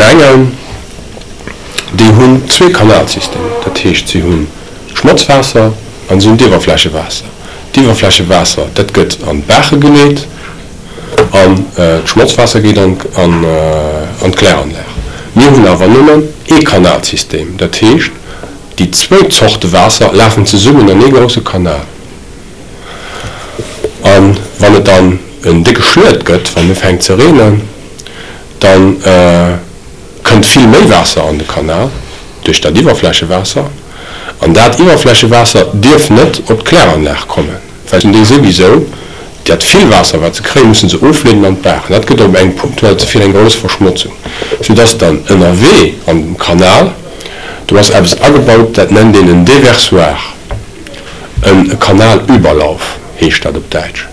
Gemengen, déi hunn zwee Kanalsystemer. Dat heescht, si hu Schmotzwaasser an si hunn d'Iwwerflächewaasser. D'Iwwerflächewaasser, dat gëtt an d'Baache geleet an d'Schmotzwaasser geet an d'Kläranlag. Mir hunn awer nëmmen ee Kanalsystem. Dat heescht, déi zwou Zorte Waasser lafen zesummen an ee grousse Kanal. A wann et dann en décke Schluet gëtt, wann ufänkt ze reenen, da kënnt vill méi Waasser an de Kanal duerch dat Iwwerflächewaasser. An dat Iwwerflächewaasser dierf net op d'Kläranlag kommen, well déi souwisou dat vill Waasser, wat se kréien, musse se ofleeden an d'Baach. An dat gëtt op engem punktuell ze vill eng grouss Verschmotzung, soudass dann ënnerwee an dem Kanal, do ass eppes agebaut, dat nennt een en Déversoir, e Kanalüberlauf heescht dat op Däitsch.